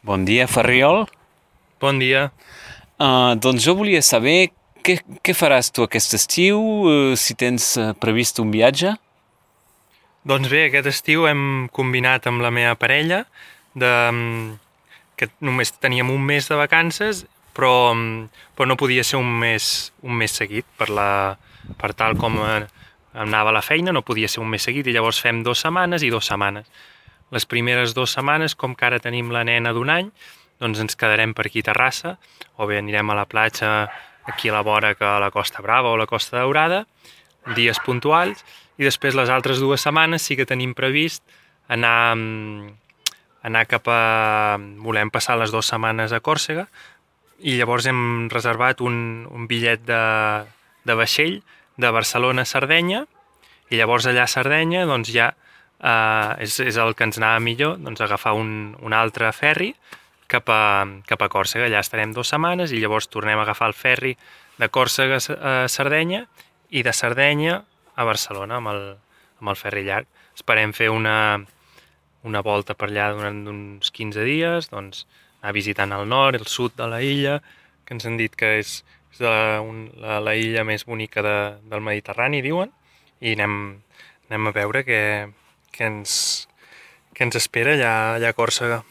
Bon dia, Ferriol. Bon dia. Doncs jo volia saber què faràs tu aquest estiu, si tens previst un viatge. Doncs bé, aquest estiu hem combinat amb la meva parella de, que només teníem un mes de vacances, però no podia ser un mes seguit per tal com anava la feina, no podia ser un mes seguit i llavors fem 2 setmanes i 2 setmanes. Les primeres 2 setmanes, com que ara tenim la nena d'1 any, doncs ens quedarem per aquí a Terrassa, o bé anirem a la platja aquí a la vora que a la Costa Brava o la Costa Daurada, dies puntuals, i després les altres 2 setmanes sí que tenim previst anar, anar cap a... Volem passar les 2 setmanes a Còrsega i llavors hem reservat un bitllet de vaixell de Barcelona a Sardenya i llavors allà a Sardenya doncs ja és el que ens anava millor, doncs agafar un altre ferri cap a Còrsega. Allà estarem 2 setmanes i llavors tornem a agafar el ferri de Còrsega a Sardenya i de Sardenya a Barcelona amb el ferri llarg. Esperem fer una volta per allà durant uns 15 dies, doncs anar visitant el nord, el sud de la illa, que ens han dit que és la illa més bonica del Mediterrani, diuen, i anem a veure què ens espera allà a Còrsega.